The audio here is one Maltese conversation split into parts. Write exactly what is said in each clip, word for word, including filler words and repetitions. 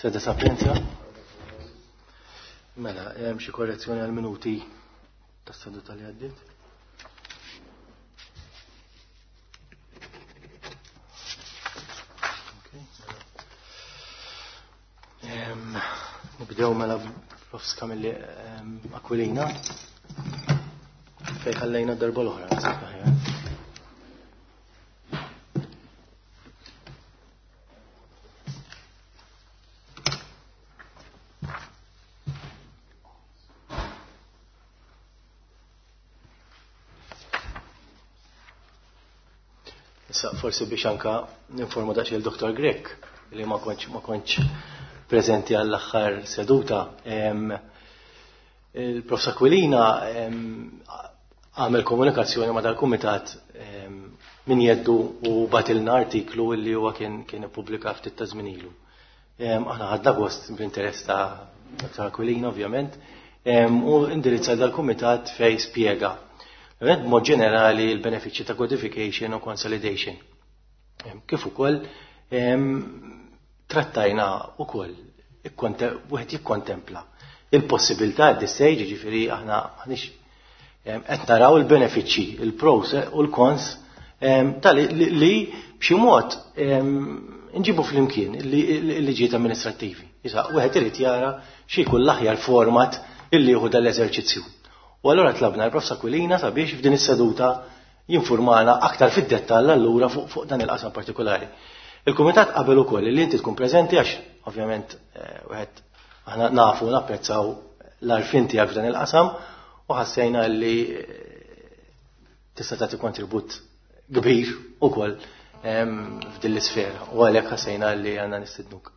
Sede Sapienza. Mela, hemm xi korrezzjoni għal minuti tas-seduta li għaddiet? Nibdew mela Profs Camilli Aquilina fejn ħallejna d-darba l-oħra, naħseb aħjar. Issa forsi biex anka ninforma daqsxejn il-Doktor Grech li ma kontx ma kontx preżenti għall-aħħar seduta. Il-Profs Aquilina għamel komunikazzjoni ma' dal-kumitat min jeddu u batilna artiklu li huwa kien kien ippubblika ftit ta' żmien ilu. Aħna ħadna gost bl-interess ta' Doktor Aquilina ovvjament u indirizza dal-kumitat fejn spjega b'mod ġenerali l-benefiċċji ta' codification u consolidation. Kif ukoll trattajna ukoll wieħed jikkontempla il-possibilità at this stage, jiġifieri aħna m'aħniex qed naraw il-benefiċċji, il-pros u l-cons tal li b'xi mod nġibu flimkien il-liġijiet amministrattivi. Issa wieħed irid jara xi jkun l-aħjar format illi jieħu dal-eżerċizzju. U allura tlabna l-Profs Aquilina sabiex f'din is-seduta jinformana aktar fid-dettall allura fuq, fuq dan il-qasam partikolari. Il-Kumitat qabel ukoll li inti tkun preżenti għax ovvjament wieħed aħna nafu napprezzaw l-għarfien tiegħek f'dan il-qasam u ħassejna li tista' tagħti kontribut kbir ukoll f'din l-isfera u għalhekk ħassejna li għandna nistednuk.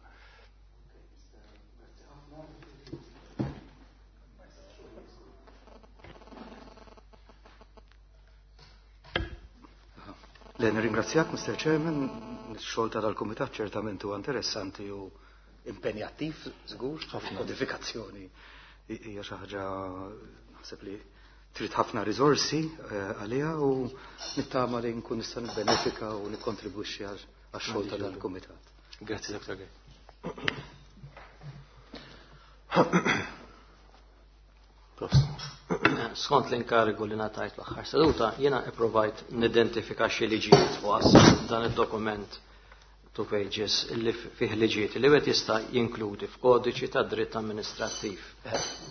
Le, nirringrazzjak, Mister Chairman, ix-xogħol ta' dal-Kumitat ċertament huwa interessanti u impenjattiv, żgur, ħafna. Kodifikazzjoni hija xi ħaġa naħseb li trid ħafna riżorsi għaliha u nittama li nkun nista' nibbenefika u nikkontribwixxi għax-xogħol ta' dal-Kumitat. Grazzi, Doktor Grech. Skont l-inkarigu li ngħatajt l-aħħar seduta, jiena ipprovajt nidentifika xi liġijiet u għas dan id-dokument two pages li fih liġijiet li wieħed jista' jinkludi f'kodiċi ta' dritt amministrattiv.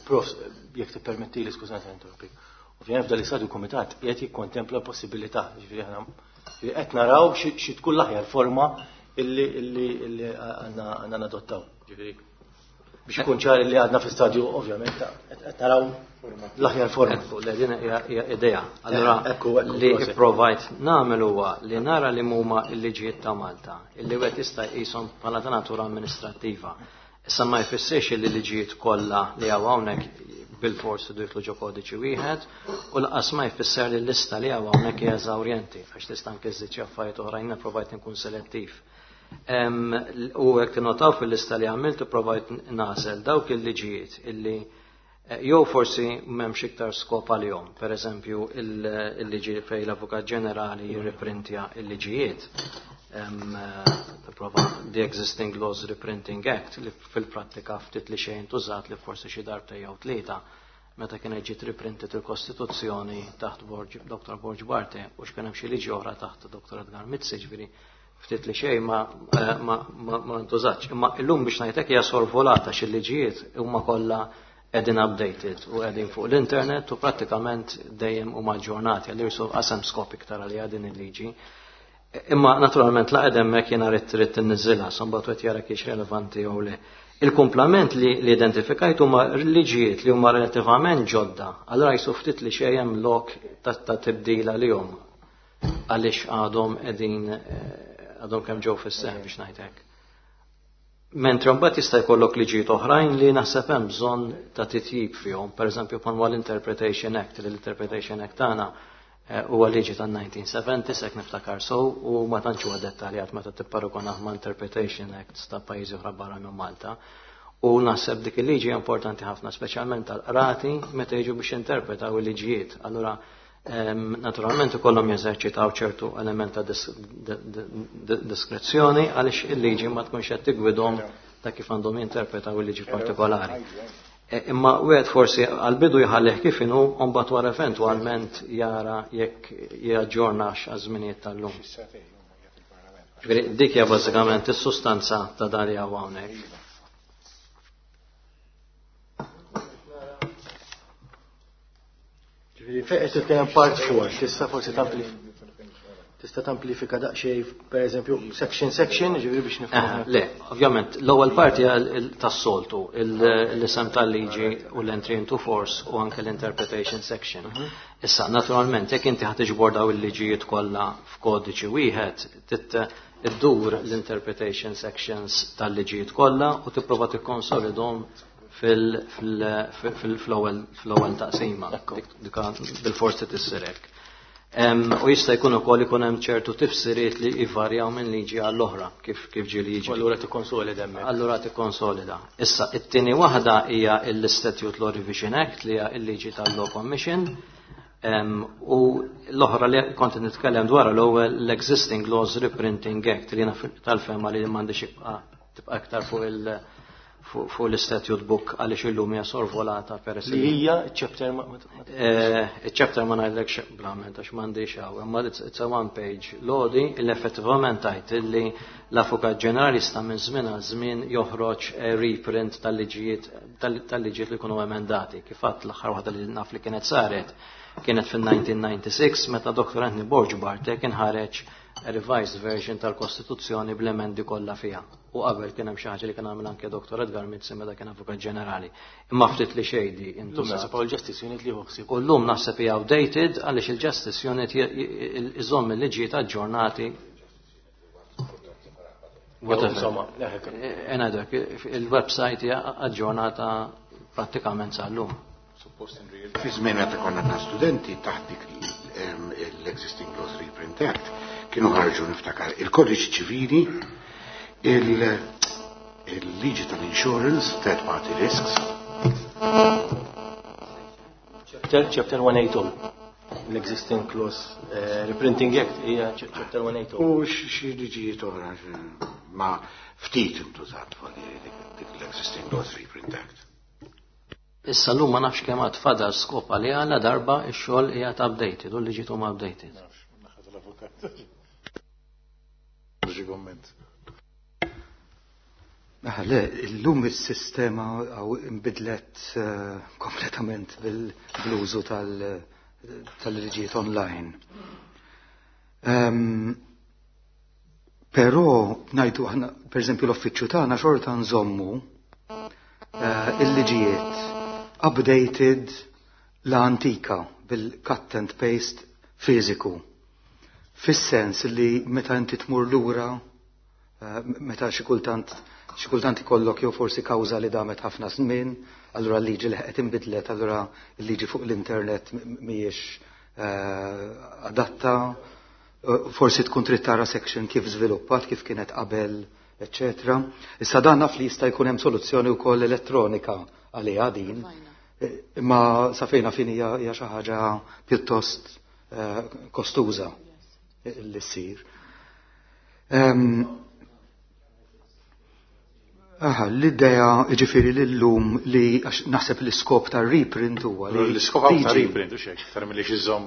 Prof, jekk tippermettili, skużani interrompik. Ovvjament f'dan l-istadju kumitat qiegħed jikkontempla possibilità, jiġifieri aħna qed naraw xi tkun l-aħjar forma illi illi għandna nadottaw. Jiġifieri biex ikun ċar li għadna fi stadju ovvjament qed naraw l-aħjar forma. Ekku, le din hija idea. Allura Ekku, ekku, li proset. ipprovajt nagħmel huwa li nara li huma l-liġijiet ta' Malta, illi wieħed jista' jqishom bħala ta' natura amministrattiva. Issa ma jfissirx li l-liġijiet kollha li hawn hawnhekk bil-fors jidħlu ġo kodiċi wieħed u lanqas ma jfisser li l-lista li hawn hawnhekk hija eżawrjenti għax tista' anke żżid xi affarijiet oħrajn ipprovajt nkun selettiv. U hekk tinnotaw fil-lista li għamilt ipprovajt nagħżel dawk il-liġijiet illi jew forsi m'hemmx iktar skop għalihom. Per eżempju, il-liġi fejn l-Avukat Ġenerali jirriprintja il-liġijiet. Tipprova the Existing Laws Reprinting Act li fil-prattika ftit li xejn tużat li forsi xi darbtejn jew tlieta meta kien ġiet riprintet il-Kostituzzjoni taħt Doktor Borg Barthe u x'kien hemm xi liġi oħra taħt Doktor Edgar Mizzi, ġifieri ftit li xejn ma, ma, ma, ma ntużatx. Imma illum biex ngħidlek hija sorvolata xi liġijiet huma kollha qegħdin updated u qegħdin fuq l-internet u prattikament dejjem huma aġġornati għal irsu qasem skop iktar għalija din il-liġi. Imma naturalment la qed hemmhekk jiena rrid trid tinniżilha, imbagħad wieħed jara kiex relevanti jew le. Il-kumplament li, li identifikajt huma liġijiet li huma relattivament ġodda, allura jisu ftit li xejn hemm lok ta', ta' tibdil għalihom għaliex għadhom qegħdin għadhom kemm ġew fis-seħħ biex ngħid hekk. Mentri mbagħad jista' jkollok liġijiet oħrajn li naħseb hemm bżonn ta' titjib fihom, pereżempju bħal l-Interpretation Act, li l-Interpretation Act tagħna huwa liġi tan nineteen seventy hekk niftakar sew u ma tantx huwa dettaljat meta tipparagonah ma' Interpretation Acts ta' pajjiżi oħra barra minn Malta. U naħseb dik il-liġi hija importanti ħafna, speċjalment tal-qrati meta jiġu biex jinterpretaw il-liġijiet. Allura naturalment ikollhom jeżerċitaw ċertu element ta' diskrezzjoni għaliex il-liġi ma tkunx qed tigwidhom ta' kif għandhom jinterpretaw il-liġi partikolari. Imma wieħed forsi għal-bidu jħallih kif inhu u mbagħad wara eventwalment jara jekk jaġġornax għaż-żminijiet tal-lum. Ġifieri dik hija bażikament is-sustanza ta' dan li hawn hawnhekk. Ġifieri fejn qed titkellem part four, tista' forsi tampli tista' tamplifika daqsxejn pereżempju section section, ġifieri biex nifhmu. Le, ovvjament, l-ewwel parti tas-soltu, l-isem tal-liġi u l-entry into force u anke l-interpretation section. Issa, naturalment, jekk inti ħa tiġbor daw il-liġijiet kollha f'kodiċi wieħed, iddur l-interpretation sections tal-liġijiet kollha u tipprova tikkonsolidhom fil-ewwel taqsima. Dik bil-forsi tissirek. U jista' jkun ukoll ikun hemm ċertu tifsiriet li jvarjaw minn liġi għall-oħra kif kif ġieli jiġi. Allura tikkonsolida hemmhekk. Allura tikkonsolida. Issa it-tieni waħda hija l-Statute Law Revision Act li hija l-liġi tal-Law Commission. U l-oħra li kont nitkellem dwar l-ewwel l-Existing Laws Reprinting Act li jiena tal-fehma li m'għandix tibqa' aktar fuq il- fuq l-statute book għaliex illum hija sorvolata peress li hija chapter ma chapter ma ngħidlekx blament għax m'għandix hawn, imma it's a one page lodi li effettivament tgħid illi l-Avukat Ġenerali sta minn żmien għal żmien joħroġ reprint tal-liġijiet tal-liġijiet li jkunu emendati. Kif għadt l-aħħar waħda li naf li kienet saret kienet fin-nineteen ninety-six meta Doctor Anthony Borg Barthe kien ħareġ revised version tal-Kostituzzjoni bl-emendi kollha fiha. U qabel kien hemm xi ħaġa li kien għamel anke Doctor Edgar Mizzi meta kien Avukat Ġenerali. Imma ftit li xejdi intużat. Llum naħseb il-Justice Unit li ħsieb. U llum naħseb hija outdated għaliex il-Justice Unit iżomm il-liġijiet aġġornati. Insomma, ngħidlek il-website hija aġġornata prattikament sal-lum. Fi żmien meta konna ta' studenti taħt dik l-Existing Laws Reprint Act kienu ħarġu niftakar il-Kodiċi Ċivili, il-liġi tal-insurance, third party risks. Chapter, chapter one eight oh, l-Existing Laws Reprinting Act hija chapter one eight oh. U xi liġijiet oħra ma ftit intużat dik l-Existing Laws Reprint Act. Issa llum ma nafx kemm għad fadal skop għaliha la darba x-xogħol qiegħed updated u l-liġijiet huma updated. Ah, le, illum is-sistema inbidlet kompletament bil-użu tal-liġijiet online. Però ngħidu aħna, pereżempju l-uffiċċju tagħna xorta nżommu il-liġijiet updated la antika bil-cut and paste fiżiku. Fis-sens li meta inti tmur lura, meta xi kultant xi kultant ikollok jew forsi kawża li damet ħafna żmien, allura l-liġi li qed inbidlet, allura l-liġi fuq l-internet mhijiex adatta, forsi tkun trid tara section kif żviluppat, kif kienet qabel, eċċetera. Issa dan naf li jista' jkun hemm soluzzjoni wkoll elettronika għaliha din, imma sa fejna fin hija xi ħaġa pjuttost kostuża li ssir. Aha, l-idea ġifieri l-lum li naħseb l-iskop tar-reprint huwa li l-iskop ta' reprint u xejn, iktar milli xi żomm.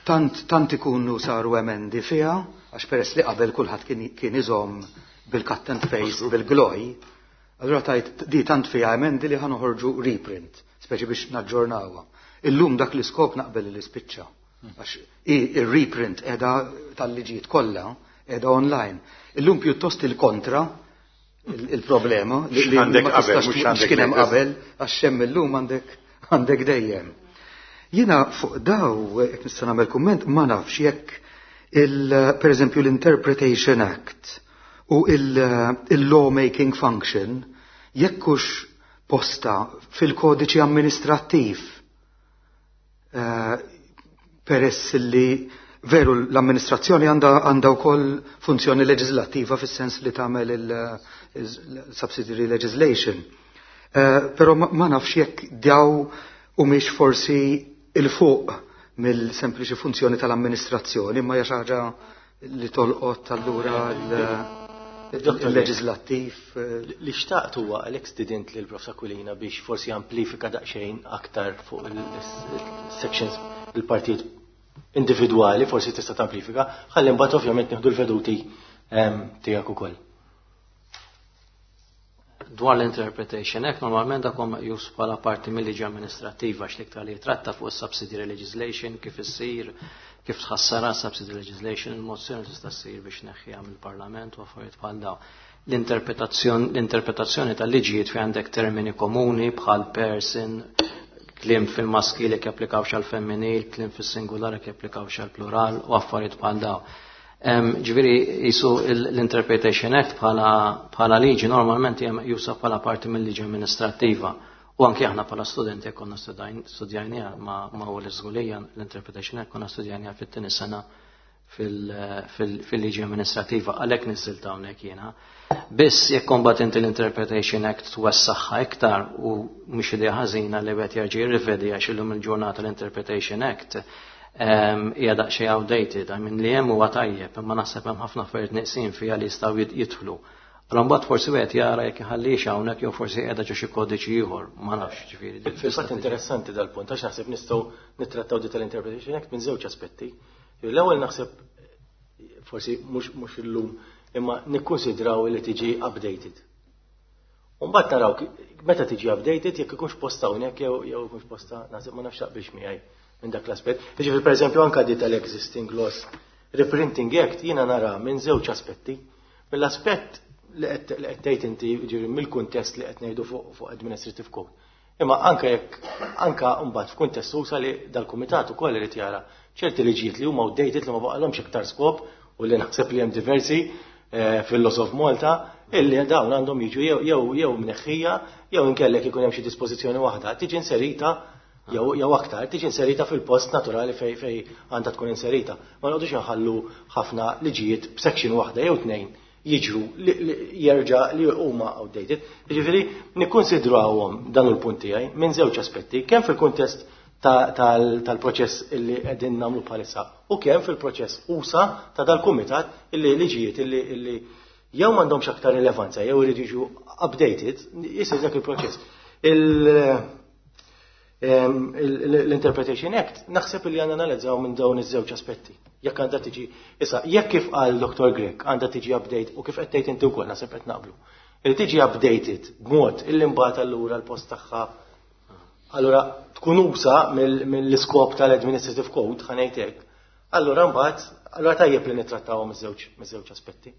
Tant tant ikunu saru emendi fiha, għax peress li qabel kulħadd kien iżomm bil-cut and paste, bil-gloj, allura tajt di tant fiha emendi li ħanoħorġu reprint, speċi biex naġġornawha. Illum dak l-iskop naqbel li spiċċa. Għax il-reprint qiegħda tal-liġijiet kollha qiegħda online. Illum pjuttost il-kontra il-problema li għandek qabel, mhux kien hemm qabel, għax hemm illum għandek għandek dejjem. Jiena fuq daw, jekk nista' nagħmel kumment, ma nafx jekk il pereżempju l-Interpretation Act u il-lawmaking function jekk hux posta fil-kodiċi amministrattiv peress li veru l-amministrazzjoni għandha wkoll funzjoni leġislattiva fis-sens li tagħmel il-subsidiary legislation. Però ma nafx jekk daw humiex forsi il-fuq mill-sempliċi funzjoni tal-amministrazzjoni, imma hija xi ħaġa li tolqot allura Il-leġislattiv. Li xtaqt huwa għalhekk stidint lil Profs Aquilina biex forsi amplifika daqsxejn aktar fuq il-sections, il-partijiet individwali, forsi tista' tamplifika, ħalli mbagħad ovvjament nieħdu l-veduti tiegħek ukoll. Dwar l-Interpretation Act, normalment dak huwa meqjus bħala parti mill-liġi amministrattiva, għax l-iktar li jitratta fuq subsidiary legislation, kif issir, kif tħassara subsidiary legislation, il-mozzjoni tista' ssir biex neħħiha mill-Parlament u affarijiet bħal dawn. L-interpretazzjoni l-interpretazzjoni tal-liġijiet fi għandek termini komuni bħal person, kliem fil-maskili jekk japplikawx għal femminil, kliem fis-singular jekk japplikawx għal plural u affarijiet bħal dawn. Ġifieri jisu l-Interpretation Act bħala liġi normalment hija meqjusa bħala parti mill-liġi amministrattiva. U anki aħna bħala studenti jekk konna studjajniha ma' ma' u l-iżgulija l-Interpretation Act konna studjajniha fit-tieni sena fil-liġi amministrativa, għalhekk niżilt hawnhekk jiena. Biss jekk imbagħad inti l-Interpretation Act twessaħħa iktar, u mhux idea ħażina li wieħed jerġa' jirrivedi, għax illum il-ġurnata l-Interpretation Act hija daqsxejn outdated, I mean, li hemm huwa tajjeb, imma naħseb hemm ħafna affarijiet neqsin fiha li jistgħu jidħlu. Allora mbagħad forsi wieħed jara jekk iħallix hawnhekk jew forsi qiegħda ġo xi kodiċi ieħor, ma nafx, ġifieri. Fil-fatt interessanti dal-punt, għax naħseb nistgħu nittrattaw di tal-Interpretation Act minn żewġ aspetti. L-ewwel naħseb forsi mhux illum, imma nikkonsidraw li tiġi updated. U mbagħad naraw meta tiġi updated jekk ikunx posta hawnhekk jew jew ikunx posta, naħseb, ma nafx taqbilx miegħi minn dak l-aspett. Jiġifieri, pereżempju, anke di tal-Existing Laws Reprinting Act jiena nara minn żewġ aspetti. Mill-aspett li qed tgħid inti, ġifieri mill-kuntest li qed ngħidu fuq Administrative Code. Imma anke jekk anke mbagħad f'kuntest usa li dal-kumitat ukoll irid jara ċerti liġijiet li huma outdated, li ma baqalhomx iktar skop, u li naħseb li hemm diversi eh, fil-Laws of Malta illi dawn għandhom jiġu jew jew jew mneħħija jew inkellek ikun hemm xi dispożizzjoni waħda tiġi inserita jew jew aktar tiġi inserita fil-post naturali fej fej għandha tkun inserita. Ma noqgħodux nħallu ħafna liġijiet b'section waħda jew tnejn jiġru jerġa' li huma outdated. Jiġifieri nikkonsidrawhom dan il-punt tiegħi minn żewġ aspetti, kemm fil-kuntest tal-proċess illi qegħdin nagħmlu bħalissa u kemm fil-proċess usa ta' dal-kumitat, illi liġijiet illi illi jew m'għandhomx aktar rilevanza jew iridu jiġu updated, jisir dak il-proċess. L-Interpretation Act naħseb li għandna analizzaw minn dawn iż-żewġ aspetti. Jekk għandha tiġi, issa, jekk kif qal Doktor Grech għandha tiġi update u kif qed tgħid inti wkoll, naħseb qed naqblu. Li tiġi updated b'mod illi mbagħad allura l-post tagħha allura tkun usa mill-iskop tal-Administrative Code, ħa ngħid hekk. Allura mbagħad allura tajjeb li nittrattawhom miż-żewġ miż-żewġ aspetti.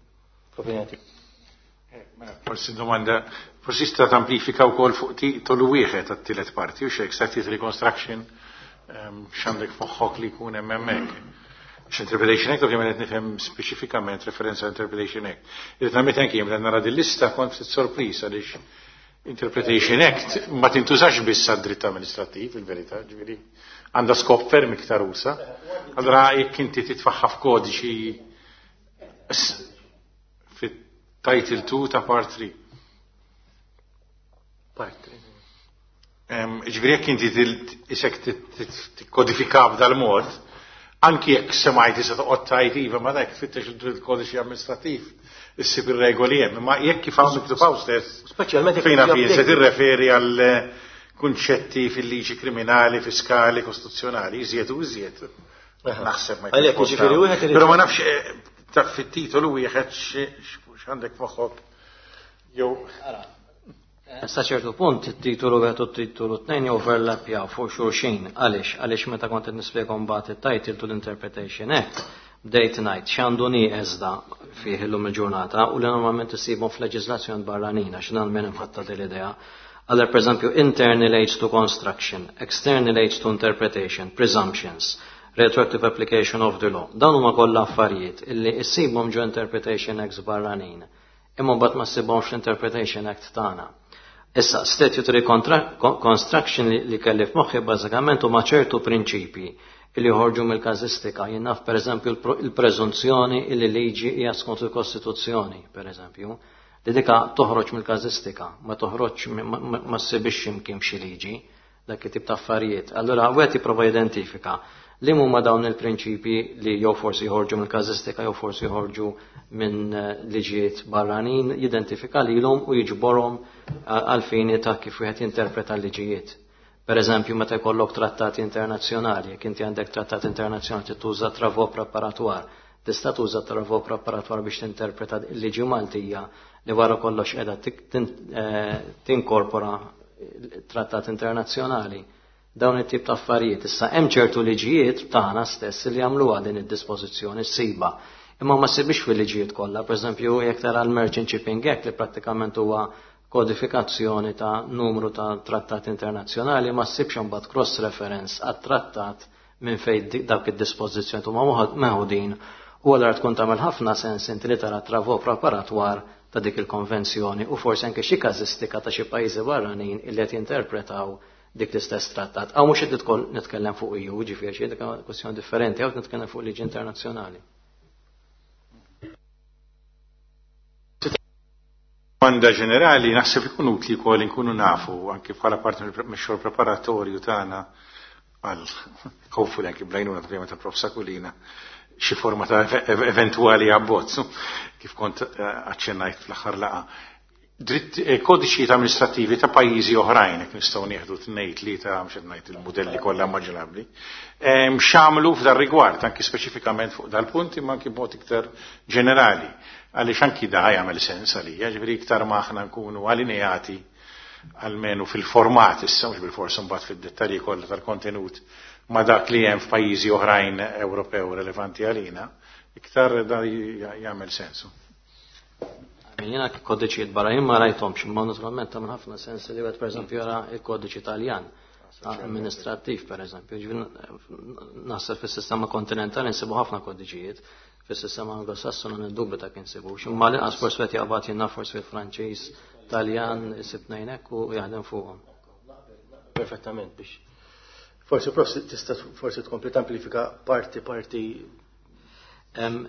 Opinjoni. Eh, mela, forsi domanda, forsi sta tamplifika wkoll fuq titolu wieħed għat-tielet parti, u xek statutory construction, ehm, x'għandek f'moħħok li jkun hemm hemmhekk. X-Interpretation Act, ovvjament qed nifhem speċifikament referenza Interpretation Act. Irrid nagħmel anki jien nara din lista kont ftit sorpriż għaliex Interpretation Act ma tintużax biss għad-dritt amministrattiv, il-verità, ġifieri għandha skop ferm iktar usa. Allora jekk inti titfaħħa f'kodiċi fit-title two ta' part three. Part three. Ġifieri jekk inti isek tikkodifika b'dal-mod, anki jekk semajt issa toqgħod tgħid iva, ma dak tfittex il-kodiċi amministrattiv, issib ir-regoli hemm, imma jekk kif hawn miktub hawn stess, Speċjalment jekk fejn tiġi fi se updated. tirreferi għal kunċetti fil-liġi kriminali, fiskali, kostituzzjonali, iżjed u iżjed. Naħseb ma Għalhekk, jkunx jiġifieri posta. wieħed irid- Però ma nafx eh, ta' fit-titolu wieħed x'għandek f'moħħok jew Sa ċertu punt, it-titolu wieħed u t-titolu tnejn overlapjaw fuq xulxin. Għaliex? Għaliex meta kont qed nispjega mbagħad it-title to l-Interpretation Act, bdejt ngħid x'għandu nieqes da fih illum il-ġurnata u li normalment isibhom f'leġiżlazzjoni barranin, għax dan minn imħatta din l-idea. Allora, per eżempju, internal aids to construction, external aids to interpretation, presumptions, retroactive application of the law. Dan huma kollha affarijiet illi issibhom ġo Interpretation Acts barranin. Imma mbagħad ma ssibhomx l-Interpretation Act tagħna. Issa, statutory construction li, li kelli f'moħħi bażikament huma ċertu prinċipji li joħorġu mill-każistika. Jien naf, pereżempju, il-preżunzjoni li liġi hija skont il-Kostituzzjoni, pereżempju, li dika toħroġ mill-każistika, ma toħroġ ma ssibix imkien xi liġi, dak it-tip ta' affarijiet. Allura wieħed jipprova jidentifika Li huma dawn il-prinċipji li jew forsi jħorġu mill-każistika jew forsi jħorġu minn liġijiet barranin, jidentifika lilhom u jiġborhom għal fini ta' kif wieħed jinterpreta l-liġijiet. Per eżempju, meta jkollok trattati internazzjonali, jekk inti għandek trattat internazzjonali tuża travaux préparatoires, tista' tuża travaux préparatoires biex tinterpreta l-liġi Maltija li wara kollox qiegħda tinkorpora trattat internazzjonali. Dawn it-tip ta' affarijiet. Issa hemm ċertu liġijiet tagħna stess li jagħmluha din id-dispożizzjoni ssiba. Imma ma ssibix fil-liġijiet kollha, pereżempju jekk tara l-Merchant Shipping Act li prattikament huwa kodifikazzjoni ta' numru ta' trattati internazzjonali, ma ssibx imbagħad cross reference għat-trattat minn fejn dawk id-dispożizzjoni huma meħudin. U allura tkun tagħmel ħafna sens inti li tara travaux préparatoires ta' dik il-konvenzjoni u forsi anke xi każistika ta' xi pajjiżi barranin illi qed jinterpretaw dik l-istess trattat. Għaw mhux qed nitkellem fuq E U, ġifieri xi dik kwestjoni differenti, hawn nitkellem fuq liġi internazzjonali. Domanda ġenerali, naħseb ikun utli wkoll inkunu nafu anke bħala parti mix-xogħol preparatorju tagħna għal hopefully anke bl-għajnuna ta' ta' Prof Sakulina xi forma ta' eventuali abbozz kif kont aċċennajt fl-aħħar laqgħa. Dritt kodiċijiet amministrativi ta' pajjiżi oħrajn, jekk nistgħu nieħdu tnejn tlieta, mhux qed ngħid il-mudelli kollha immaġinabbli. X'għamlu f'dar rigward, anki speċifikament fuq dal-punt, imma anki b'mod iktar ġenerali. Għaliex anki da jagħmel sens għalija, ġifieri iktar ma aħna nkunu allineati almenu fil-format issa, mhux bil-forsi mbagħad fid-dettalji kollha tal-kontenut ma dak li hemm f'pajjiżi oħrajn Ewropew relevanti għalina, iktar da jagħmel sensu. Jiena kodiċijiet barra ma rajthomx, imma naturalment tagħmel ħafna sens li wieħed pereżempju jara il-kodiċi Taljan amministrattiv pereżempju. Naħseb fis-sistema kontinentali nsibu ħafna kodiċijiet, fis-sistema Anglosassona niddubita kien insibux. Imma l-inqas forsi qed jaqbad jiena forsi fil-Franċiż, Taljan isib ngħinek u jaħdem fuqhom. Perfettament biex. Forsi prof tista' forsi tkompli tamplifika parti parti.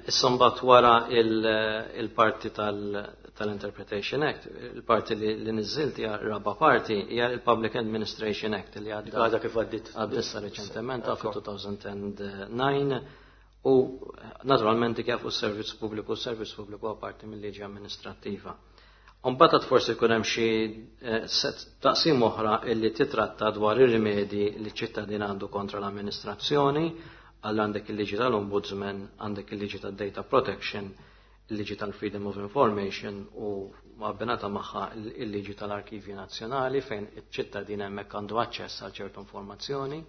Issa mbagħad wara il-parti tal-Interpretation Act, il-parti li niżilt hija raba parti hija il-Public Administration Act li għadda għadha kif għaddit għaddissa reċentement fi elfejn u disa' u naturalment kif u s-servizz pubbliku, s-servizz pubbliku huwa parti mill-liġi amministrattiva. Mbagħad forsi jkun hemm xi set taqsim oħra illi titratta dwar ir-rimedji li ċ-ċittadin għandu kontra l-amministrazzjoni, għal għandek il-liġi tal-Ombudsman, għandek il-liġi tal-Data Protection, il-liġi tal-Freedom of Information u abbinata magħha il-liġi tal-Arkivji Nazzjonali fejn iċ-ċittadin hemmhekk għandu aċċess għal ċertu informazzjoni,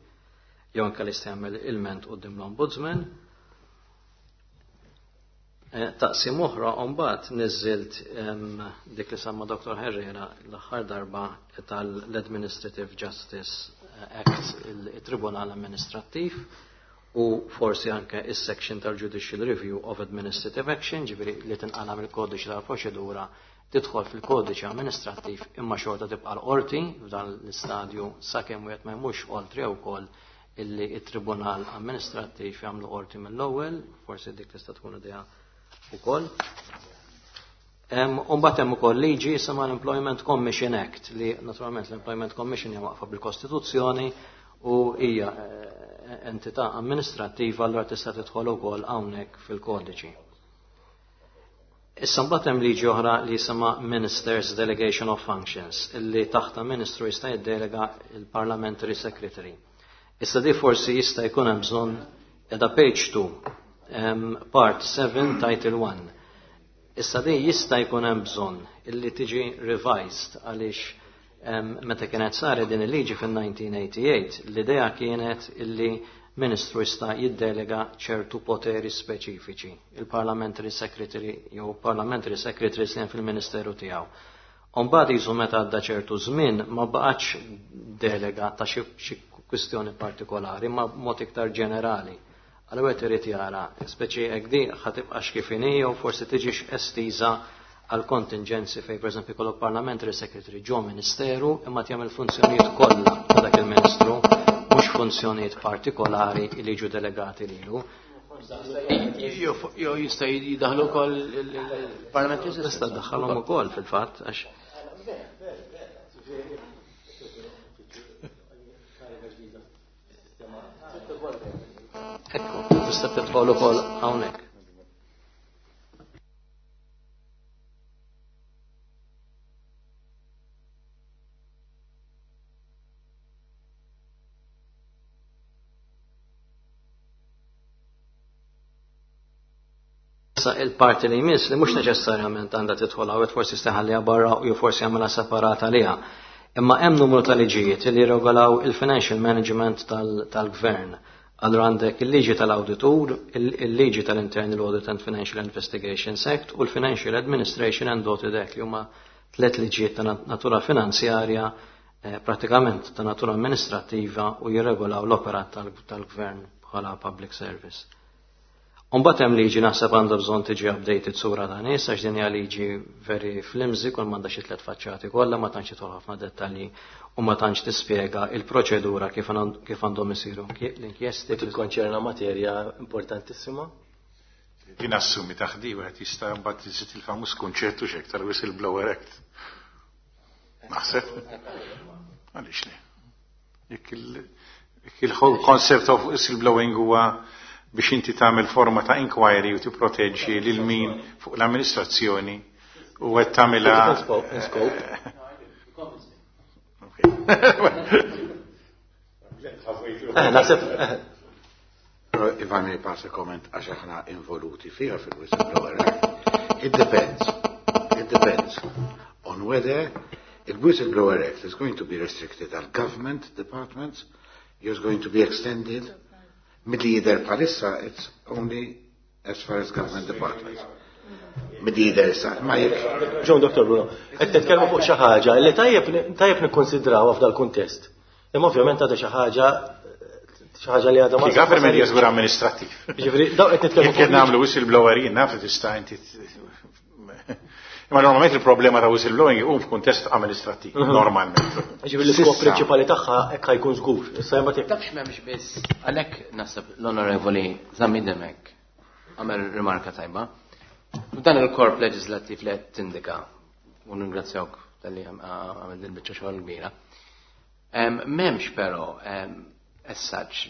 jew anke li jagħmel ilment quddiem l-Ombudsman. Taqsim oħra mbagħad niżilt dik li semma Doktor Herrera l-aħħar darba tal-Administrative Justice Act, il-Tribunal Amministrattiv, u forsi anke is-section tal-Judicial Review of Administrative Action, ġifieri li tinqala mill-kodiċi tal-proċedura tidħol fil-kodiċi amministrattiv imma xorta tibqa' l-qorti f'dan l-istadju sakemm wieħed ma jmurx oltre wkoll illi it-Tribunal Amministrattiv jagħmlu qorti mill-ewwel, forsi dik tista' tkun idea ukoll. Umbagħad hemm ukoll liġi jisimha l-Employment Commission Act li naturalment l-Employment Commission hija waqfa bil-Kostituzzjoni u hija entità amministrattiva, allura tista' tidħol ukoll hawnhekk fil-kodiċi. Issa mbagħad hemm liġi oħra li jisimha Ministers Delegation of Functions, illi taħta ministru jista' jiddelega il-Parliamentary Secretary. Issa di forsi jista' jkun hemm bżonn edha page two, um, part seven, title one. Issa di jista' jkun hemm bżonn illi tiġi revised għaliex um, meta kienet saret din il-liġi fil-elf disa' mija u tmienja u disgħin, l-idea kienet illi ministru jista' jiddelega ċertu poteri speċifiċi, il-Parliamentary Secretary jew Parliamentary Secretary li fil-Ministeru tiegħu. Umbagħad jisu meta għadda ċertu żmien ma baqgħetx delega ta' xi kwistjoni partikolari, ma mod iktar ġenerali. Allura qed irid jara, speċi hekk di ħa tibqax kif inhi jew forsi tiġix estiża għal kontingenzi fej pereżempju kollok Parliamentary Secretary ġo ministeru imma jagħmel funzjonijiet kollha ta' dak il-ministru, mhux funzjonijiet partikolari li jiġu delegati lilu. Jew jista' jidaħlu wkoll il-Parliamentary Tista' ddaħħalhom ukoll fil-fatt għax tista' tidħol ukoll hawnhekk. Issa il-parti li jmiss li mhux neċessarjament għandha tidħol hawn, forsi steħalliha barra u jew forsi jagħmilha separata għaliha. Imma hemm numru ta' liġijiet li jirregolaw il-financial management tal-gvern. Allura għandek il-liġi tal-awditur, il-liġi tal-Internal Audit and Financial Investigations Act u l-Financial Administration and Audit Act li huma tliet liġijiet ta' natura finanzjarja, pratikament ta' natura amministrattiva u jirregolaw l-operat tal-gvern bħala public service. Umbagħad hemm liġi naħseb għandha bżonn tiġi updated sura ta' nies għax din hija liġi very flimsy, kull m'għandha xi tliet faċċati kollha, ma tantx tidħol ħafna dettalji u ma tantx tispjega il-proċedura kif għandhom isiru l-inkjesti. Tikkonċerna materja importantissima. Din assumi taħdi wieħed jista' mbagħad iżid il-famuż kunċettu x'hekk tal-whistleblower act. Naħseb? Għaliex le? Jekk il-whole concept of whistleblowing huwa biex inti tagħmel forma ta' inquiry u tipproteġġi lil min fuq l-amministrazzjoni u qed tagħmilha. If I may pass a comment, għax aħna involuti fiha fil-whistleblower act. It depends. It depends on whether the whistleblower act is going to be restricted għal government departments, is going to be extended. Milli jidher bħalissa, it's only as far as government departments. Milli jidher issa, ma jekk. Ġon, Doktor Bruno, qed titkellmu fuq xi ħaġa li tajjeb tajjeb nikkonsidrawha f'dal-kuntest. Imma ovvjament għadha xi ħaġa xi ħaġa li għadha ma. Government hija żgur amministrattiv. Jiġifieri dawn qed nitkellmu. Jekk nagħmlu whistleblower jien naf li tista' inti. Imma normalment il-problema ta' whistleblowing hu f'kuntest amministrattiv, normalment. Ġifieri l-iskop prinċipali tagħha hekk ħajkun żgur. Issa hemm jekk tafx m'hemmx biss għalhekk naħseb l-Onorevoli Zammit Demek għamel rimarka tajba. Dan il-korp leġislattiv li qed tindika u ningrazzjawk talli għamel din biċċa xogħol kbira. M'hemmx però as such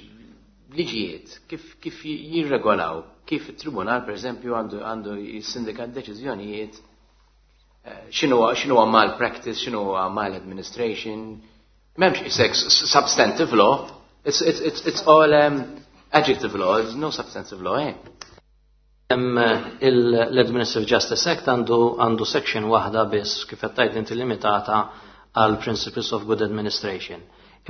liġijiet kif kif jirregolaw kif it-tribunal pereżempju għandu għandu jissindika deċiżjonijiet x'inhu x'inhu malpractice, x'inhu maladministration. M'hemmx isek substantive law. It's it's it's it's all um, adjective law, there's no substantive law, eh? L-Administrative Justice Act għandu għandu section waħda biss kif qed tgħid inti limitata għal Principles of Good Administration.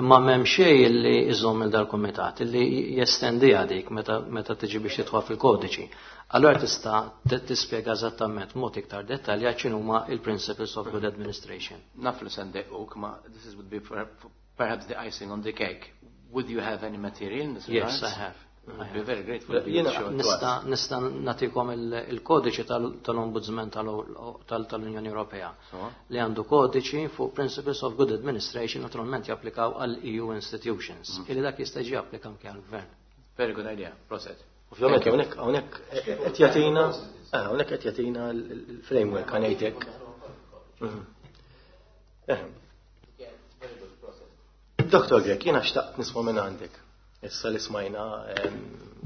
Imma m'hemm xejn li iżomm il dal-kumitat illi jestendiha dik meta meta tiġi biex tidħol fil-kodiċi. Allora tista' tispjega eżattament mod iktar dettaljat x'inhuma il-Principles of Good Administration. Naf li se ndejquk, ma this is would be perhaps the icing on the cake. Would you have any material in this regard? Yes, I have. I'd be very grateful. Nista nista nagħtikom il-kodiċi tal-Ombudsman tal-Unjoni Ewropea li għandu kodiċi fuq Principles of Good Administration naturalment japplikaw għal E U institutions. Illi dak jista' jiġi applika anke għall-gvern. Very good idea. Proset. Ovvjament hawnhekk hawnhekk qed jagħtina hawnhekk qed jagħtina l-framework ngħidlek. Doktor Grech, jiena xtaqt nisma' minn għandek. Issa li smajna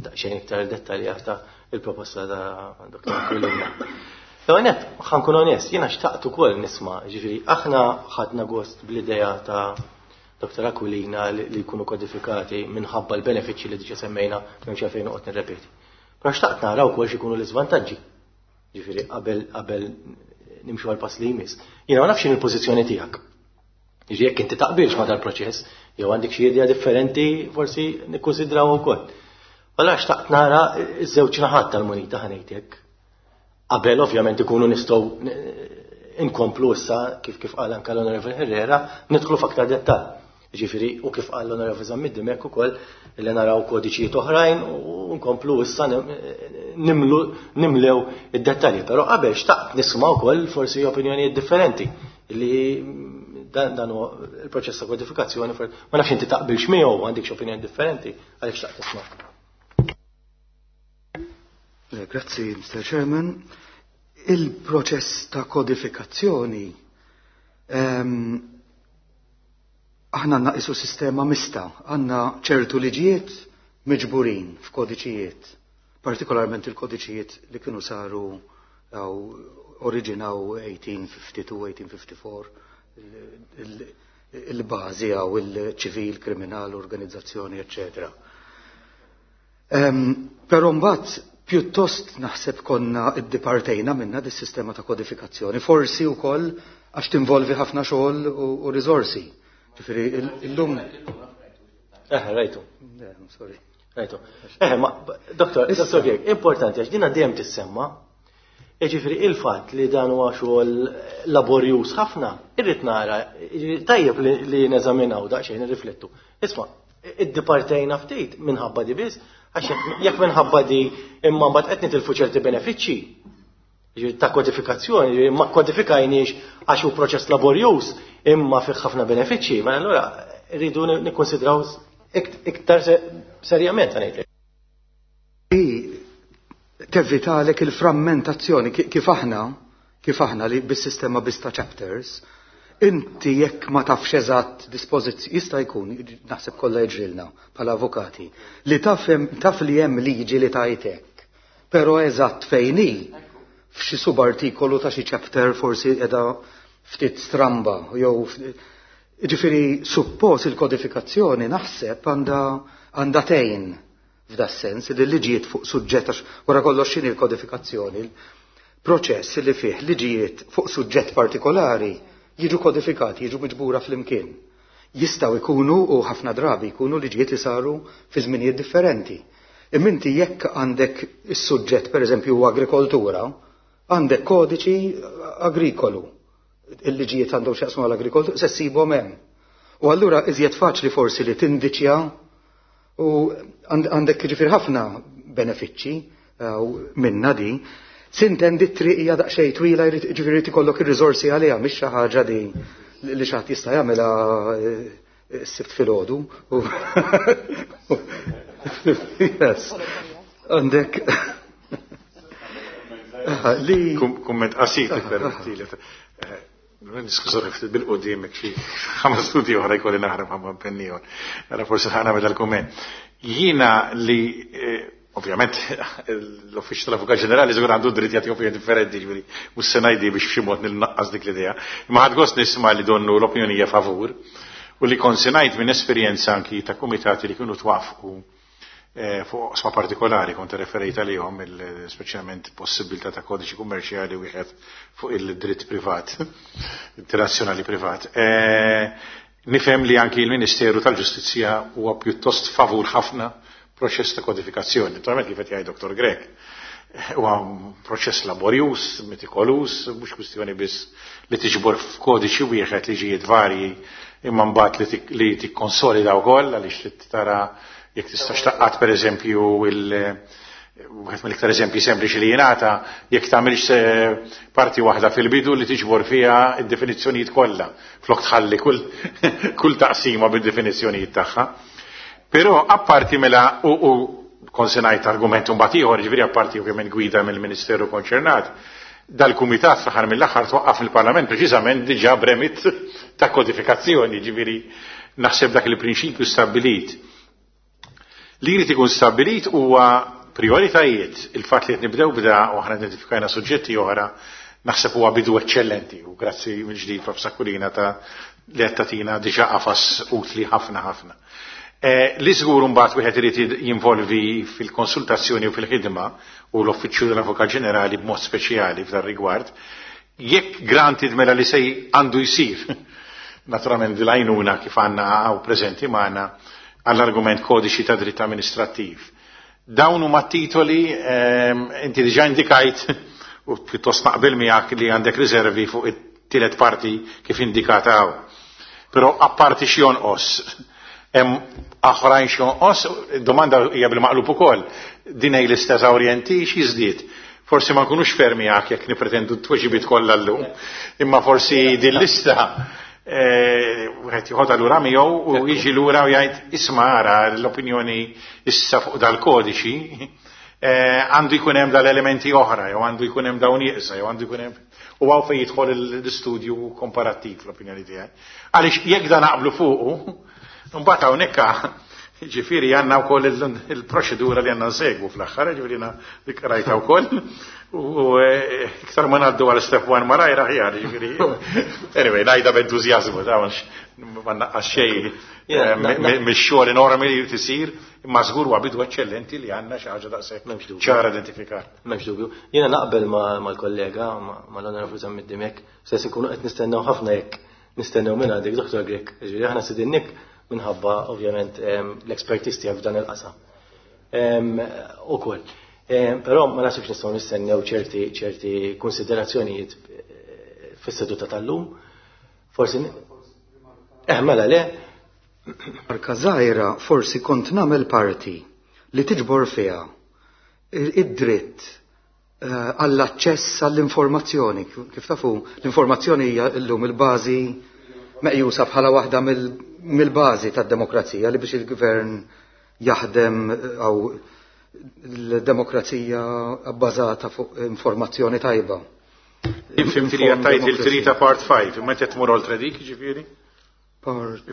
daqsxejn iktar dettaljata il-proposta ta' Doktor Aquilina. L-ewwel ħa nkun onest, jiena xtaqt ukoll nisma', ġifieri aħna ħadna gost bl-idea ta' Doktor Aquilina li jkunu kodifikati minħabba l-benefiċċji li diġà semmejna m'hemmx għalfejn noqgħod nirrepeti. Però xtaqt nara wkoll x'ikunu l-iżvantaġġi. Ġifieri qabel qabel nimxu għal pass li jmiss. Jiena ma nafx x'inhi l-pożizzjoni tiegħek. Jiġifieri jekk inti taqbilx ma' dal-proċess, jew għandek xi idea differenti forsi nikkunsidraw ukoll. Allura xtaqt nara ż-żewġ naħat tal-munita ħanejtek. Qabel ovvjament ikunu nistgħu inkomplu issa kif kif qal anke l-Onorevoli Herrera nidħlu f'aktar dettall. Ġifieri u kif qal l-Onorevoli Zammit Dimech ukoll li naraw kodiċijiet oħrajn u nkomplu issa nimlu nimlew id-dettalji. Però qabel xtaqt nisma' wkoll forsi opinjonijiet differenti li dan dan huwa il-proċess ta' kodifikazzjoni, ma nafx inti taqbilx miegħu għandek xi opinjoni differenti għaliex xtaqt tisma'. Grazzi, Mister Chairman. Il-proċess ta' kodifikazzjoni ehm, aħna għandna qisu sistema mista, għandna ċertu liġijiet miġburin f'kodiċijiet, partikolarment il-kodiċijiet li kienu saru għaw oriġinaw eighteen fifty-two, eighteen fifty-four, il-bażi għaw il-ċivil, kriminal, organizzazzjoni, eccetera. Però mbagħad pjuttost naħseb konna iddipartejna minna dis-sistema ta' kodifikazzjoni, forsi wkoll għax tinvolvi ħafna xogħol u riżorsi. Ġifieri illum. Eh, rajtu. Sorry. Rajtu. Eh, ma, doktor, doktor Grech, importanti għax dina dejjem tissemma. Ġifieri il-fatt li dan huwa xogħol laborjuż ħafna, irrid nara, tajjeb li neżaminaw daqsxejn nirriflettu. Isma', iddipartejna ftit minħabba di biss, għax jekk minħabba di imma mbagħad qed nitilfu ċerti benefiċċji ġifieri ta' kodifikazzjoni, ġifieri ma kodifikajniex għax hu proċess laborjuż imma fih ħafna benefiċċji, ma allura rridu nikkonsidraw iktar serjament ngħidlek. Tevitalek il-frammentazzjoni kif aħna, kif aħna li bis-sistema biss ta' chapters, inti jekk ma tafx eżatt dispożizzjoni, jista' jkun, naħseb kollha jiġrilna bħala avukati, li taf, taf li hemm liġi li tajtek, però eżatt fejn hi, f'xi subartikolu ta' xi chapter forsi qiegħda ftit stramba, jew ġifieri suppost il-kodifikazzjoni naħseb għandha għandha tgħin f'da sens li liġijiet fuq suġġett, għax wara kollox x'inhi l-kodifikazzjoni, proċess li fih liġijiet fuq suġġett partikolari jiġu kodifikati, jiġu miġbura flimkien. Jistgħu jkunu u ħafna drabi jkunu liġijiet li saru fi żminijiet differenti. Imma inti jekk għandek is-suġġett pereżempju huwa agrikoltura, għandek kodiċi agrikolu. Il-liġijiet għandhom x'jaqsmu għall-agrikoltura, se ssibhom hemm. U allura iżjed faċli forsi li tindiċja u għandek ġifier ħafna benefiċċji minna di. Sintendi t-triq hija daqsxejn twila, ġifieri ikollok ir-riżorsi għaliha, mhix xi ħaġa di li xi ħadd jista' jagħmilha s-sibt filgħodu. Yes. Għandek li Kumment qasir permettili. Niskużani ftit bil-qudiem xi ħames studi oħra jkolli naħrab ħamma pennijon. Ara forsi ħana meta l-kumment. Jiena li ovvjament l-Uffiċċju tal-Avukat Ġenerali żgur għandu dritt jagħti opinjoni differenti, ġifieri mhux se ngħidi biex f'xi mod nilnaqqas dik l-idea. Imma ħadd gost nisma' li donnu l-opinjoni hija favur u li konsinajt minn esperjenza anki ta' kumitati li kienu twafqu fuq oqsma partikolari kont referejt għalihom, speċjalment possibilità ta' kodiċi kummerċjali wieħed fuq il-dritt privat, internazzjonali privat. Nifhem li anki l-Ministeru tal-Ġustizzja huwa pjuttost favur ħafna proċess ta' kodifikazzjoni. Naturalment kif qed jgħid Doktor Grech, huwa proċess laborjuż, metikoluż, mhux kwistjoni biss li tiġbor f'kodiċi wieħed liġijiet varji, imma mbagħad li tikkonsolida wkoll għaliex li tara jekk tistax taqqat pereżempju il wieħed mill-iktar eżempji sempliċi li jingħata, jekk tagħmilx parti waħda fil-bidu li tiġbor fiha d-definizzjonijiet kollha, flok tħalli kull kull taqsima bid-definizzjonijiet tagħha. Però apparti mela u, u konsenajt argument mbagħad ieħor, ġifieri apparti ovvjament gwida mill-Ministeru konċernat, dal-kumitat fl-aħħar mill-aħħar twaqqaf il-Parlament preċiżament diġà bremit ta' kodifikazzjoni, ġifieri naħseb dak il-prinċipju stabbilit. Li jrid ikun stabbilit huwa prioritajiet, il-fatt li qed nibdew bda u aħna identifikajna suġġetti oħra, naħseb huwa bidu eċċellenti u grazzi mill-ġdid Prof Aquilina ta' li qed tagħtina diġà qafas utli ħafna ħafna. Li żgur mbagħad wieħed irid jinvolvi fil-konsultazzjoni u fil-ħidma u l-Uffiċċju tal-Avukat Ġenerali b'mod speċjali f'dan rigward, jekk granted mela li se għandu jsir, naturalment l-għajnuna kif għandna hawn preżenti magħna għall-argument kodiċi ta' dritt amministrattiv. Dawn huma titoli, inti diġà indikajt u pjuttost naqbel miegħek li għandek riservi fuq it-tielet parti kif indikata hawn. Però apparti xi jonqos, hemm oħrajn xi jonqos, domanda hija bil-maqlub ukoll, din hi l-istess orienti xi żdied. Forsi ma nkunux fermi miegħek jekk nipretendu t-tweġibiet kollha llum, imma forsi din lista wieħed joħodha lura miegħu u jiġi lura u jgħid isma' ara l-opinjoni issa fuq dal-kodiċi għandu jkun hemm dal-elementi oħra, jew għandu jkun hemm dawn ieqsa, jew għandu jkun hemm u hawn fejn jidħol l-istudju komparattiv l-opinjoni tiegħi. Għaliex jekk dan naqblu fuqu, mbagħad hawnhekk Ġifieri għandna wkoll il-proċedura li għandna nsegwu fl-aħħar, ġifieri dik rajta wkoll. U iktar ma ngħaddu għal step one malajr aħjar, ġifieri. Anyway, ngħidha b'entużjażmu, ta' ma naqqas xejn mix-xogħol enormi li jrid isir, imma żgur huwa bidu eċċellenti li għandna xi ħaġa daqshekk ċara identifikat. M'hemmx dubju. Jiena naqbel mal-kollega, mal-Onorevoli Zammit Dimech, se ikunu qed nistennew ħafna jekk nistennew minn għandek Dottor Grech. Ġifieri aħna sidinnik minħabba ovvjament l-expertise tiegħek f'dan il-qasam. Ukoll. Però ma nasibx nistgħu nistennew ċerti ċerti konsiderazzjonijiet fis-seduta tal-lum. Forsi eh mela le. Marka żgħira forsi kont nagħmel parti li tiġbor fiha id-dritt għall-aċċess għall-informazzjoni. Kif tafu, l-informazzjoni hija llum il-bażi meqjusa bħala waħda mill-bażi tad-demokrazija li biex il-gvern jaħdem għaw l-demokrazija bbażata fuq informazzjoni tajba. Fimti li għattajt il-trita part five, imma qed tmur oltre dik, ġifieri?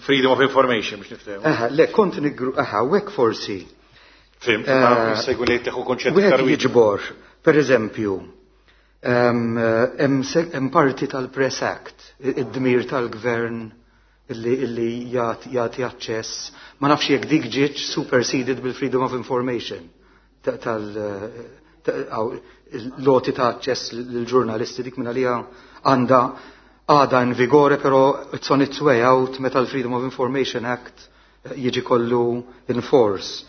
Freedom of information biex niftehmu. Aha, le kont nigru, aha, hekk forsi. Fimt, ma segwu li teħu konċett iktar jiġbor, per eżempju, hemm parti tal-Press Act, id-dmir tal-gvern illi jagħti aċċess, ma nafx jekk dik ġietx superseded bil-Freedom of Information tal loti ta' aċċess lill-ġurnalisti dik minn għalija għandha għadha in vigore, però it's on its way out meta l-Freedom of Information Act jiġi kollu in force.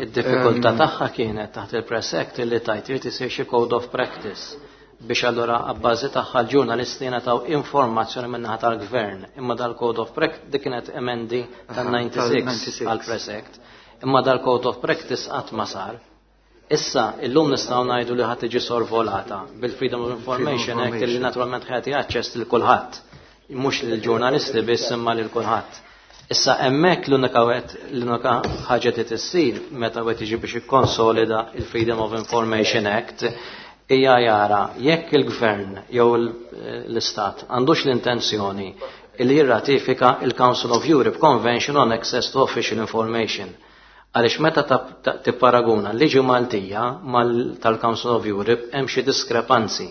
Id-diffikultà tagħha kienet taħt il-Press Act illi tajt irid isir xi code of practice biex allura abbażi tagħha l-ġurnalisti ngħataw informazzjoni min-naħa tal-gvern. Imma dal-Code of Practice dik kienet emendi tan-ninety-six għall-Press Act. Imma dal-Code of Practice qatt ma sar. Issa illum nistgħu ngħidu li ħadd tiġi sorvolata bil-Freedom of Information Act li naturalment ħati aċċess lil kulħadd, mhux lill-ġurnalisti biss imma lil kulħadd. Issa hemmhekk l-unika l-unika ħaġa li tissir meta wieħed jiġi biex ikkonsolida il-Freedom of Information Act hija jara jekk il-gvern jew l-istat għandux l-intenzjoni li jirratifika il-Council of Europe Convention on Access to Official Information. Għaliex meta tipparaguna l-liġi Maltija tal-Council of Europe hemm xi diskrepanzi.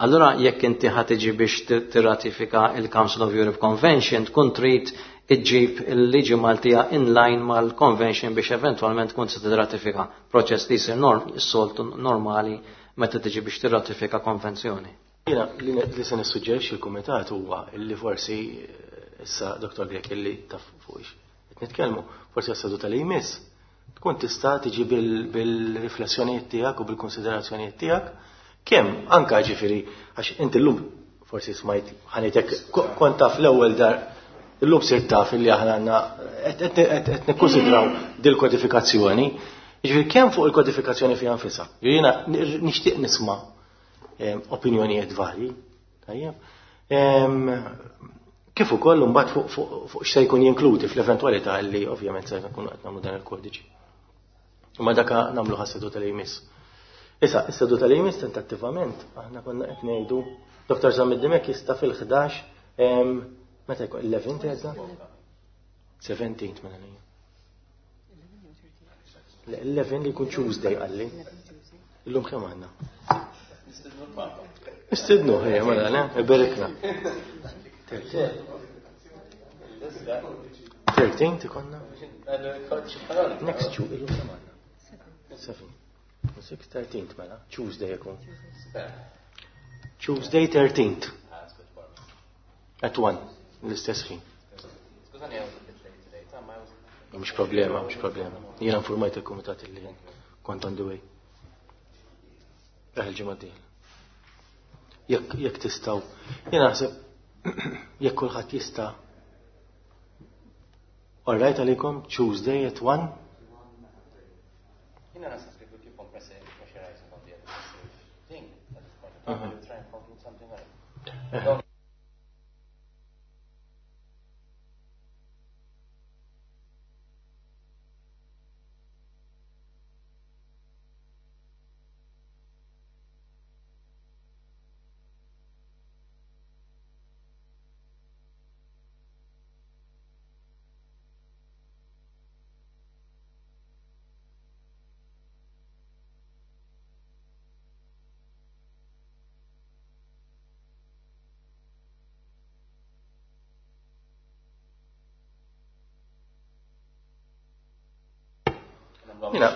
Allura jekk inti ħa tiġi biex tirratifika il-Council of Europe Convention tkun trid iġġib il-liġi Maltija in line mal-convention biex eventwalment tkun se tirratifika. Proċess li jsir is-soltu normali meta tiġi biex tirratifika konvenzjoni. Jiena li se nissuġġerixxi l-kumitat huwa li forsi issa Dottor Grech illi taf fuq qed nitkellmu, forsi għas-seduta li jmiss tkun tista' tiġi bil-riflessjonijiet tiegħek u bil-konsiderazzjonijiet tiegħek kemm anke ġifieri għax inti llum forsi smajt ħanitek kont taf l-ewwel dar illum sirt taf illi aħna għandna qed nikkonsidraw dil-kodifikazzjoni. Ġifieri kemm fuq il-kodifikazzjoni fiha nfisha. Jiena nixtieq nisma' opinjonijiet varji, tajjeb. Kif ukoll imbagħad fuq x'se jkun jinkludi fl-eventwalità li ovvjament se nkunu qed nagħmlu dan il-kodiċi. Imma dak nagħmlu ħas-seduta li jmiss. Issa, is-seduta li jmiss tentattivament aħna konna qed ngħidu Dottor Zammit Dimech jista' fil-ħdax meta jkun eleven tgħidha? seventeen mela lejn. Eleven li jkun Tuesday qalli. Illum kemm għandna? Nistidnu, ejja, mela, le, iberikna. Thirteen tikonna? Next Tuesday, illum kemm għandna? Seven. Six, thirteenth, mela, Tuesday jkun. Tuesday thirteenth. At one, l-istess ħin. Mhux problema, mhux problema. Jiena informajt il-kumitat illi kont on the way. Eħ il-ġimgħa d-dieħla. Jekk jekk tistgħu. Jiena naħseb jekk kulħadd jista'. All right għalikom Tuesday at one. Jiena naħseb li keep on pressurizing on the administrative thing at this point in time. We'll try and conclude something else. nagħmluha.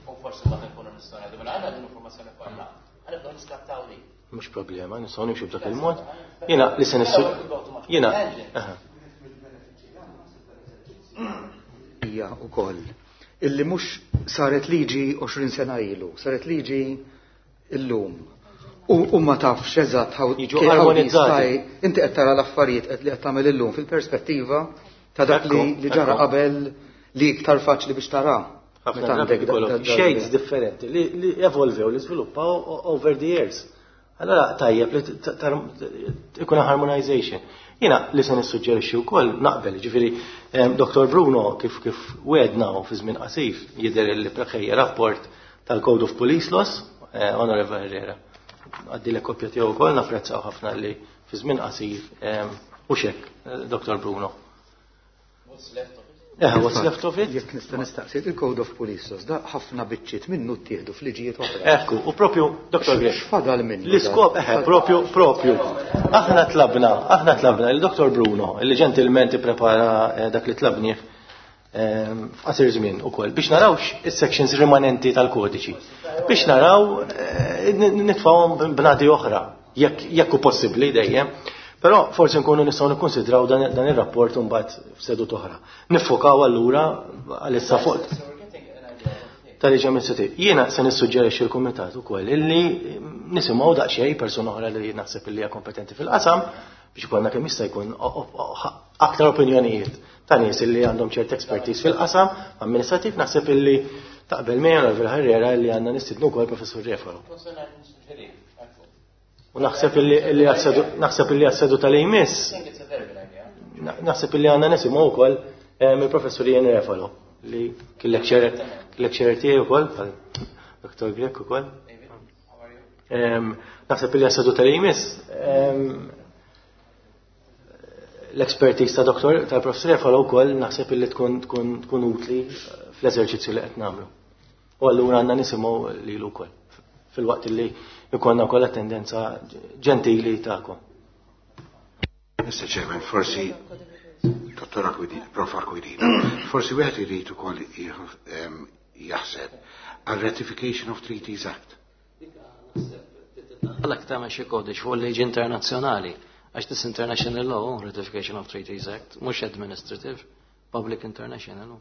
U forsi mbagħad nkunu nistgħu ngħidu mela għandna din l-informazzjoni kollha. Ħa nibdew niskattaw li. Mhux problema, nistgħu nimxu b'dak il-mod. Jiena li se nissu jiena hija wkoll illi mhux saret liġi għoxrin sena ilu, saret liġi illum. U ma tafx eżatt jiġu armonizzati. Inti qed tara l-affarijiet qed li qed tagħmel illum fil-perspettiva ta' dak li ġara qabel li iktar faċli biex tara. Ħafna drabi ikollok shades differenti li evolvew, li żviluppaw over the years. Allora tajjeb li ikun harmonization. Jiena li se nissuġġerixxi wkoll naqbel, ġifieri Dottor Bruno kif kif wedna u fi żmien qasir jidher li preħejja rapport tal-Code of Police Laws, Honorable Herrera. Għaddi l kopja tiegħu wkoll, napprezzaw ħafna li fi żmien qasir u xek, Dottor Bruno. What's left of it? Eh, what's left of it? Jekk nista' nistaqsi, il-Code of Police Laws da ħafna biċċiet minnu ttieħdu f'liġijiet oħra. Ekku, u propju, Dottor Grech. X'fadal minnu? L-iskop, eħe, propju, propju. Aħna tlabna, aħna tlabna il-Dottor Bruno, li ġentilment ipprepara dak li tlabnieh f'qasir żmien ukoll biex narawx is-sections rimanenti tal-kodiċi. Biex naraw nitfgħuhom b'nadi oħra, jekk jekk hu possibbli dejjem. Però forsi nkunu nistgħu nikkonsidraw dan ir-rapport imbagħad f'sedut oħra. Niffokaw allura għalissa fuq tal-liġi amministrativ. Jiena se nissuġġerixxi l-kumitat ukoll illi nisimgħu daqsxejn persuna oħra li naħseb illi hija kompetenti fil-qasam biex ikollna kemm jista' jkun aktar opinjonijiet ta' nies illi għandhom ċert expertise fil-qasam amministrativ. Naħseb illi taqbel miegħi Onorevole Herrera illi għandna nistidnu wkoll Professur Refalo. U naħseb illi naħseb illi għas-sedu tal-ejmiss naħseb illi għandna nisimgħu wkoll mill-Professur Ian Refalo li kien lecturer tiegħi wkoll bħal Dottor Grech ukoll. Naħseb illi għas-sedu tal-ejmiss l-expertise ta' doktor tal-Professur Refalo wkoll naħseb illi tkun tkun tkun utli fl-eżerċizzju li qed nagħmlu. U allura għandna nisimgħu lilu wkoll fil-waqt illi jkollna wkoll attendenza ġentili tagħkom. Mister Chairman, forsi Dottor Aquilina, Prof Aquilina, forsi wieħed irid ukoll jaħseb għal Ratification of Treaties Act. Għalhekk tagħmel xi kodiċ fuq il-liġi internazzjonali, għax this international law, Ratification of Treaties Act, mhux administrative, public international law.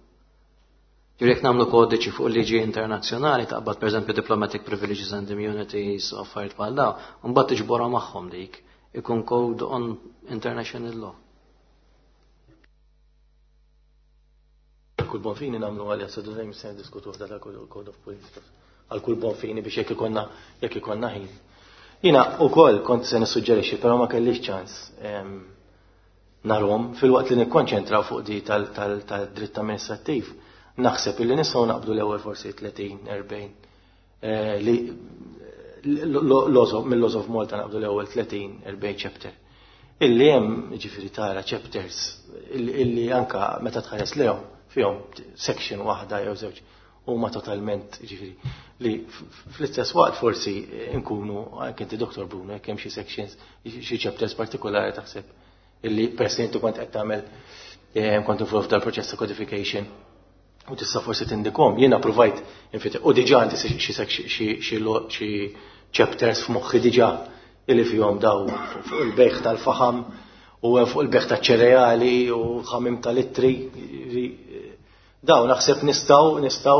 Jekk nagħmlu kodiċi fuq liġi internazzjonali taqbad pereżempju diplomatic privileges and immunities u affarijiet bħal dawn, u mbagħad tiġborha magħhom dik, ikun code on international law. Kull bonfini nagħmlu għalja sedu dejjem se niddiskutu f'dan il-Code of Police Laws. Għal kull bonfini biex jekk ikollna jekk ikollna ħin. Jiena wkoll kont se nissuġġerixxi, però ma kellix ċans narhom fil-waqt li nikkonċentraw fuq di tal-dritt amministrattiv. Naħseb illi nistgħu naqbdu l-ewwel forsi tletin, erbgħin li mill-Laws of Malta naqbdu l-ewwel tletin, erbgħin chapter. Illi hemm ġifieri tara chapters illi anka meta tħares lehom fihom section waħda jew żewġ huma totalment ġifieri li fl-istess waqt forsi nkunu anke inti Dottor Bruno jekk hemm xi sections xi chapters partikolari taħseb illi peress li inti kont qed tagħmel kont involved dal-proċess ta' codification u tista' forsi tindikom. Jiena provajt infit u diġà għandi xi chapters f'moħħi diġà illi fihom daw fuq il-bejħ tal-faħam u fuq il-bejħ taċ-ċereali u ħamim tal-ittri. Daw naħseb nistgħu nistgħu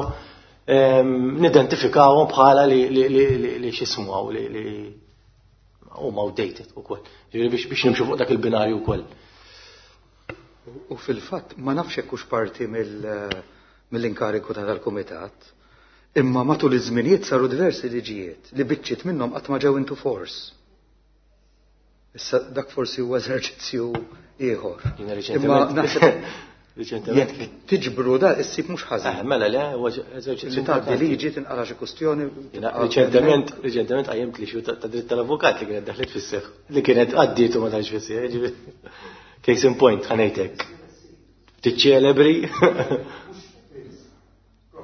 nidentifikawhom bħala li li x'ismu li li huma outdated ukoll. Ġifieri biex biex nimxu fuq dak il-binarju wkoll. U fil-fatt ma nafx hekk hux parti mill mill-inkariku ta' tal-kumitat, imma matul iż-żminijiet saru diversi liġijiet li biċċiet minnhom qatt ma ġew into force. Issa dak forsi huwa eżerċizzju ieħor. Imma naħseb jekk tiġbru da issib mhux ħażin. Mela le, huwa eżerċizzju. Li tgħaddi liġi tinqara xi kwistjoni. Riċentement, riċentement qajjimt li xi ta' dritt tal-avukat li kienet daħlet fis-seħħ, li kienet għaddiet u ma daħletx fis-seħħ. Case in point, ħanejtek. Tiċċelebri.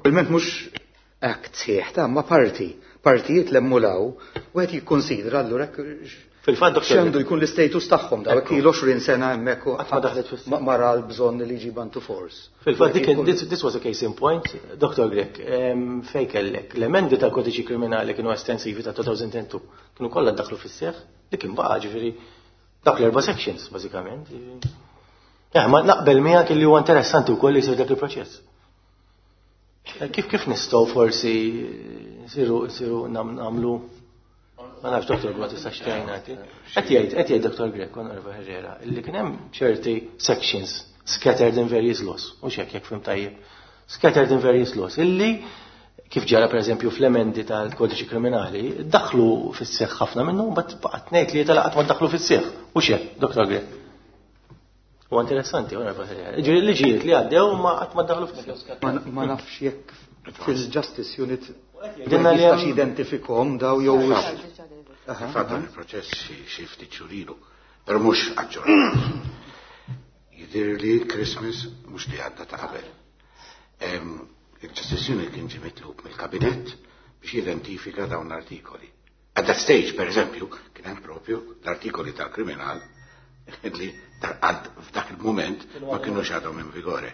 Probabilment mhux act sħiħ ta' ma parti, partijiet l-emmulaw, u qed jikkonsidra allura Fil-fatt X'għandu jkun l-istatus tagħhom daw ilu għoxrin sena hemmhekk u Qatt ma daħlet fis- ma ra l-bżonn li jġiba into force. Fil-fatt dik this, this was a case in point, Doctor Grech, em, fej kellek l-emendi tal-kodiċi kriminali kienu estensivi ta' two thousand and two, kienu kollha daħlu fis-seħħ, li kien baqa' ġifieri dak l-erba' sections bażikament. Eh, ma naqbel miegħek li huwa interessanti wkoll li jsir dak il-proċess. Eh, Kif kif nistgħu forsi nsiru nsiru nagħmlu, ma nafx, Doctor ma tistax tgħinna? Qed jgħid qed jgħid Doctor Grech, Onorevole Herrera, illi kien hemm ċerti sections scattered in various laws, u hekk jekk fhimt tajjeb. Scattered in various laws, illi kif ġara per eżempju fl-emendi tal-kodiċi kriminali, daħlu fis-seħħ ħafna minnu, but baqgħet ngħid li tal-qatt ma daħlu fis-seħħ. U hekk, Doctor Grech. U interessanti, Onorevole Herrera. Ġifieri liġijiet li għaddew ma qatt ma daħlu fis-seħħ. Ma ma nafx jekk fil-Justice Unit Dinna li jistax hemm- identifikhom daw jew Fatt dan il-proċess xi- xi ftit xhur ilu, però mhux aġġornat. Jidher li Christmas mhux li għadda, ta' qabel. Em, Il-Justice Unit kien ġie mitlub mill-kabinett biex jidentifika dawn l-artikoli. At that stage, per eżempju, kien hemm propju l-artikoli tal-kriminal li għad f'dak il-moment ma kienux għadhom in vigore.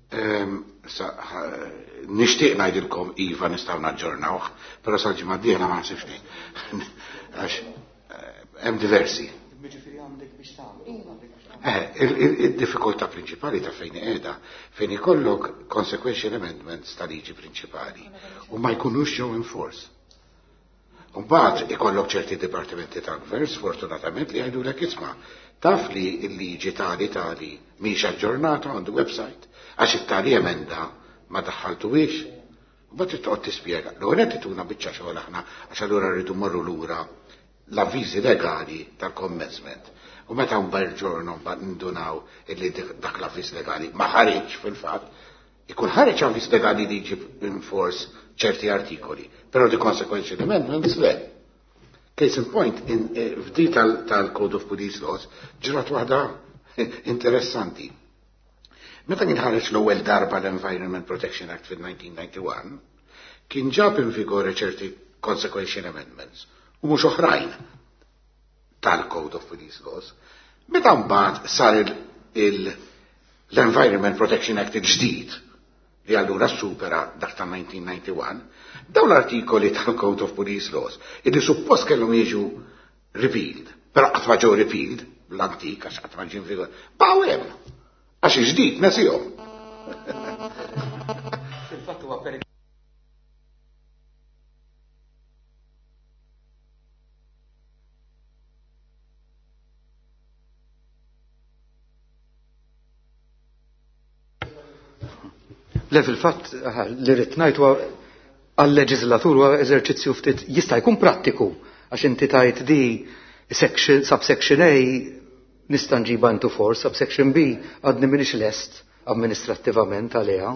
Ehm, sa- ħa- Nixtieq ngħidilkom iva nistgħu naġġornawh, però sal-ġimgħa d-dieħla ma naħsibx li. Għax eh, hemm diversi. Eh, il-diffikultà prinċipali ta' fejn qiegħda, fejn ikollok consequential amendments ta' liġi prinċipali u ma jkunux ġew in force. Mbagħad ikollok ċerti dipartimenti tal-gvern, sfortunatament, li jgħidulek, "Isma', taf li l-liġi tali tali mhix aġġornata on the website għax it-tali emenda ma daħħaltuhiex." Mbagħad trid toqgħod tispjega. L-ewwel qed tituna biċċa xogħol aħna, għax allura rridu mmorru lura l-avviżi legali tal-commencement. U meta mbagħad ġorno mbagħad nindunaw illi dak l-avviż legali ma ħareġ fil-fatt, ikun ħareġ avviż legali li jġib in force ċerti artikoli, però di consequential amendments le. Case in point, in, eh, f'di tal-Code of Police Laws, ġrat waħda interessanti. Meta kien ħareġ l-ewwel darba l-Environment Protection Act fil-elf disa' mija u wieħed u disgħin, kien ġab in vigore ċerti consequential amendments u mhux oħrajn tal-Code of Police Laws. Meta mbagħad sar l-Environment Protection Act il-ġdid, li allura supera dak ta' elf disa' mija u wieħed u disgħin, dawn l-artikoli tal-Code of Police Laws, illi suppost kellhom jiġu repealed, però qatt ma ġew repealed, l-antik għax qatt ma ġie vigor, baqgħu hemm. Għax il-ġdid nesihom. Fil-fatt huwa per Le, fil-fatt li rrid ngħid huwa għal-leġislatur huwa eżerċizzju ftit jista' jkun prattiku, għax inti tajt di section, subsection A nista' nġiba into force, subsection B għadni m'iniex lest amministrattivament għaliha.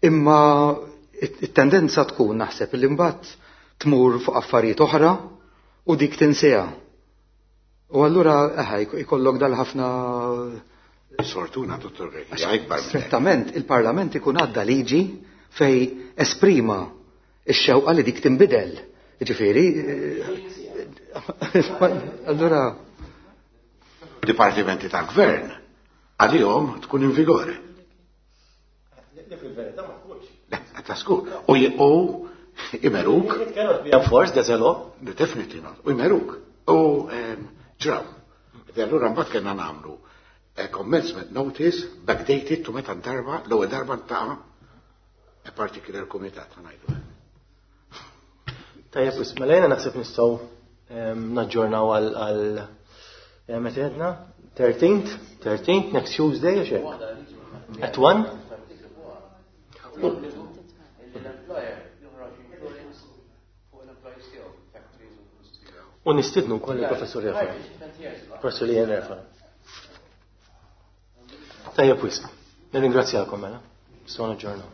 Imma it-tendenza tkun naħseb li mbagħad tmur fuq affarijiet oħra u dik tinseha. U allura eħa jkollok dal-ħafna Sfortuna, Dottor Grech, hija ikbar minn hekk. Strettament il-Parlament ikun għadda liġi fej esprima ix-xewqa li dik tinbidel. Ġifieri, eh, allura Dipartimenti tal-gvern għalihom tkun in vigore. Le, ta' skur. U j- u imeruk, It cannot be enforced as a law. Definitely not, u jmeruk. U em, ġraw. E allura mbagħad kellna nagħmlu a commencement notice backdated to meta darba, l-ewwel darba ta' a particular kumitat, ħa ngħidu. Tajjeb, mela jiena naħseb nistgħu em, naġġornaw għal għal eh, meta għedna? thirteenth, thirteenth, next Tuesday, għax hekk. At one? L-employer joħroġ insurance fuq l-employees tiegħu, factories u industrija. U nistidnu wkoll il-professur Refalo. Professur Ian Refalo. Tajjeb wisq. Nirringrazzjakom mela. Nistgħu naġġornaw.